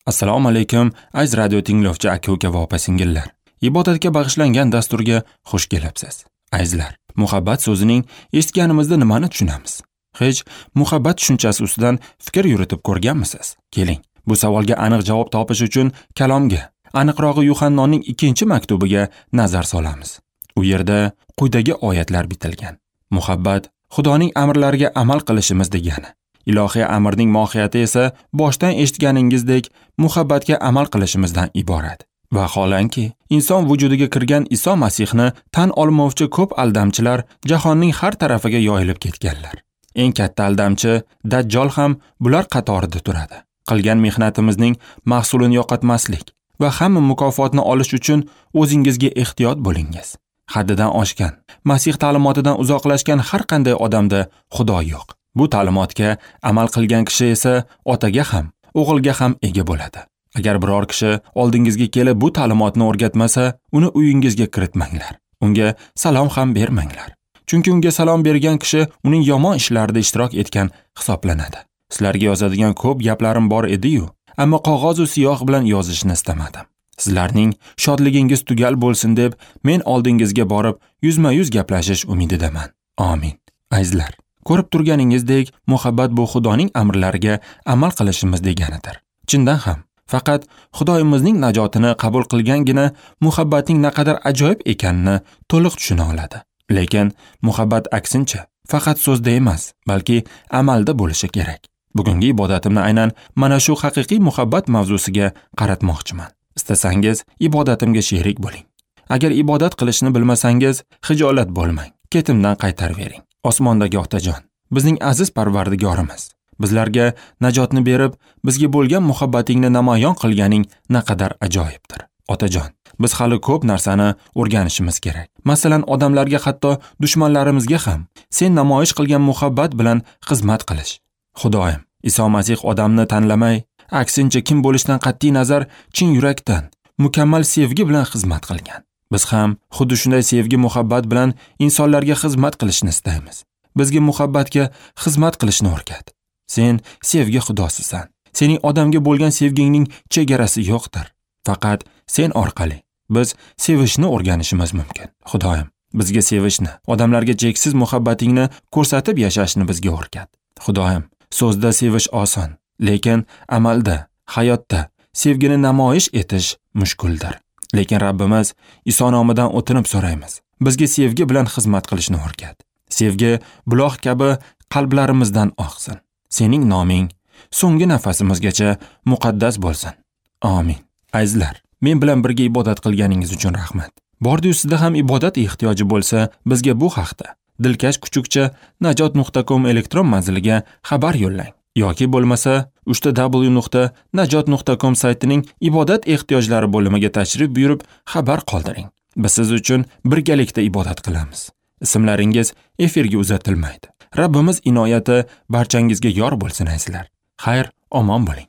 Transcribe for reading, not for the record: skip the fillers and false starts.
Assalomu alaykum, aziz radio tinglovchi aka-uka va opa-singillar. Ibodatga bag'ishlangan dasturga xush kelibsiz. Azizlar, muhabbat so'zining eshitganimizda nimani tushunamiz? Hech muhabbat tushunchasi ustidan fikr yuritib ko'rganmisiz? Keling, bu savolga aniq javob topish uchun kalomga, aniqrog'i Yuhannoning 2-maktubiga nazar solamiz. U yerda quyidagi oyatlar bitilgan. Muhabbat Xudoning amrlariga amal qilishimiz degani. Ilohiy amrning mohiyati esa boshdan eshitganingizdek muhabbatga amal qilishimizdan iborat. Vaholanki, inson vujudiga kirgan Iso Masihni tan olmovchi ko'p aldamchilar jahonning har tarafiga yoyilib ketganlar. Eng katta aldamchi Dajjol ham bular qatorida turadi. Qilgan mehnatimizning mahsulini yo'qotmaslik va hamma mukofotni olish uchun o'zingizga ehtiyot bo'lingiz. Haddidan oshgan, Masih ta'limotidan uzoqlashgan har qanday odamda Xudo yo'q. Bu ta'limotga amal qilgan kishi esa otaga ham, o'g'ilga ham ega bo'ladi. Agar biror kishi oldingizga kelib bu ta'limotni o'rgatmasa, uni uyingizga kiritmanglar. Unga salom ham bermanglar. Chunki unga salom bergan kishi uning yomon ishlarida ishtirok etgan hisoblanadi. Sizlarga yozadigan ko'p gaplarim bor edi-yu, ammo qog'oz va siyoh bilan yozishni istamadim. Sizlarning shodligingiz tugal bo'lsin deb men oldingizga borib yuzma-yuz gaplashish umididaman. Amin. Azizlar, ko'rib turganingizdek, muhabbat bu Xudoning amrlariga amal qilishimiz deganidir. Chindan ham, faqat Xudoyimizning najotini qabul qilgangina muhabbatning naqadar ajoyib ekanini to'liq tushuna oladi. Lekin muhabbat aksincha faqat so'zda emas, balki amalda bo'lishi kerak. Bugungi ibodatimni aynan mana shu haqiqiy muhabbat mavzusiga qaratmoqchiman. Istasangiz ibodatimga sherik bo'ling. Agar ibodat qilishni bilmasangiz, xijolat bo'lmang. Ketimdan qaytarvering. Osmondagi Otajon, bizning aziz Parvardigorimiz, bizlarga najotni berib, bizga bo'lgan muhabbatingni namoyon qilganing naqadar ajoyibdir. Otajon, biz hali ko'p narsani o'rganishimiz kerak. Masalan, odamlarga, hatto dushmanlarimizga ham sen namoyish qilgan muhabbat bilan xizmat qilish. Xudoyim, Iso Masih odamni tanlamay, aksincha kim bo'lishidan qat'iy nazar chin yurakdan, mukammal sevgi bilan xizmat qilgan. Biz ham xuddi shunday sevgi muhabbat bilan insonlarga xizmat qilishni istaymiz. Bizga muhabbatga xizmat qilishni o'rgat. Sen sevgi xudosisan. Sening odamga bo'lgan sevgingning chegarasi yo'qdir. Faqat sen orqali biz sevishni o'rganishimiz mumkin. Xudoyim, bizga sevishni, odamlarga cheksiz muhabbatingni ko'rsatib yashashni bizga o'rgat. Xudoyim, so'zda sevish oson, lekin amalda, hayotda sevgini namoyish etish mushkuldir. Lekin Rabbimiz Iso nomidan o'tinib so'raymiz. Bizga sevgi bilan xizmat qilishni o'rgat. Sevgi buloq kabi qalblarimizdan oqsin. Sening noming so'nggi nafasimizgacha muqaddas bo'lsin. Amin. Azizlar, men bilan birga ibodat qilganingiz uchun rahmat. Bordi-yu sizda ham ibodat ehtiyoji bo'lsa, bizga bu haqda dilkash@najot.com elektron manziliga xabar yo'llang. Yoki bo'lmasa www.najot.com saytining ibodat ehtiyojlari bo'limiga tashrif buyurib xabar qoldiring. Biz siz uchun birgalikda ibodat qilamiz. Ismlaringiz efirga uzatilmaydi. Rabbimiz inoyati barchangizga yor bo'lsin azizlar. Xayr, omon bo'ling.